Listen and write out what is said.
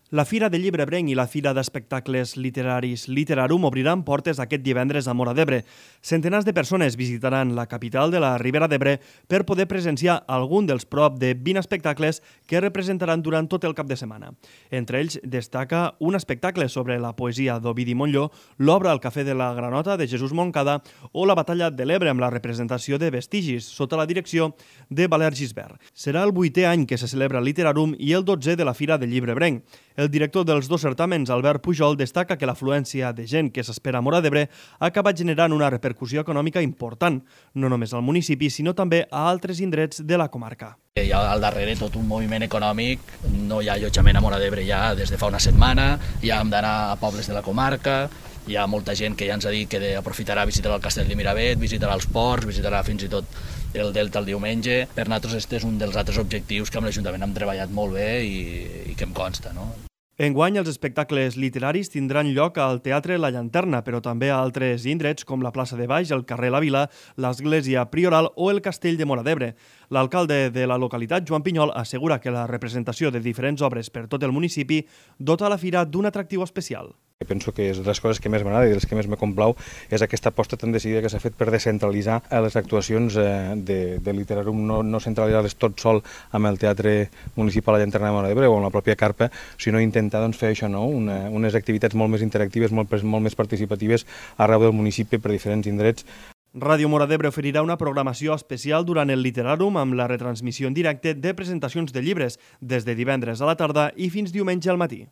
La Fira de Llibre Ebrenc i la Fira d'Espectacles Literaris Literarum obriran portes aquest divendres a Móra d'Ebre. Centenars de persones visitaran la capital de la Ribera d'Ebre per poder presenciar algun dels prop de 20 espectacles que representaran durant tot el cap de setmana. Entre ells destaca un espectacle sobre la poesia d'Ovidi Montllor, l'obra al Cafè de la Granota de Jesús Moncada o la Batalla de l'Ebre amb la representació de Vestigis, sota la direcció de Valer Gisbert. Serà el 8è any que se celebra el Literarum i el 12è de la Fira de Llibre Ebrenc. El director dels dos certàmens, Albert Pujol, destaca que l'afluència de gent que s'espera a Móra d'Ebre ha acabat generant una repercussió econòmica important, no només al municipi, sinó també a altres indrets de la comarca. Hi ha al darrere tot un moviment econòmic, no hi ha allotjament a Móra d'Ebre ja des de fa una setmana, ja hem d'anar a pobles de la comarca, hi ha molta gent que ja ens ha dit que aprofitarà a visitar el Castell de Miravet, visitarà els ports, visitarà fins i tot el Delta el diumenge. Per nosaltres aquest és un dels altres objectius que amb l'Ajuntament hem treballat molt bé i que em consta, no? Enguany, els espectacles literaris tindran lloc al Teatre La Llanterna, però també a altres indrets com la plaça de Baix, el carrer La Vila, l'església Prioral o el castell de Móra d'Ebre. L'alcalde de la localitat, Joan Pinyol, assegura que la representació de diferents obres per tot el municipi dota la fira d'un atractiu especial. Penso que és de les coses que més m'agrada i de les que més me complau és aquesta aposta tan decidida que s'ha fet per descentralitzar les actuacions de Literarum, no centralitzar-les tot sol amb el Teatre Municipal La Llanterna de Móra d'Ebre o amb la pròpia Carpa, sinó intentar fer això, unes activitats molt més interactives, molt més participatives arreu del municipi per diferents indrets. Ràdio Móra d'Ebre oferirà una programació especial durant el Literarum amb la retransmissió en directe de presentacions de llibres des de divendres a la tarda i fins diumenge al matí.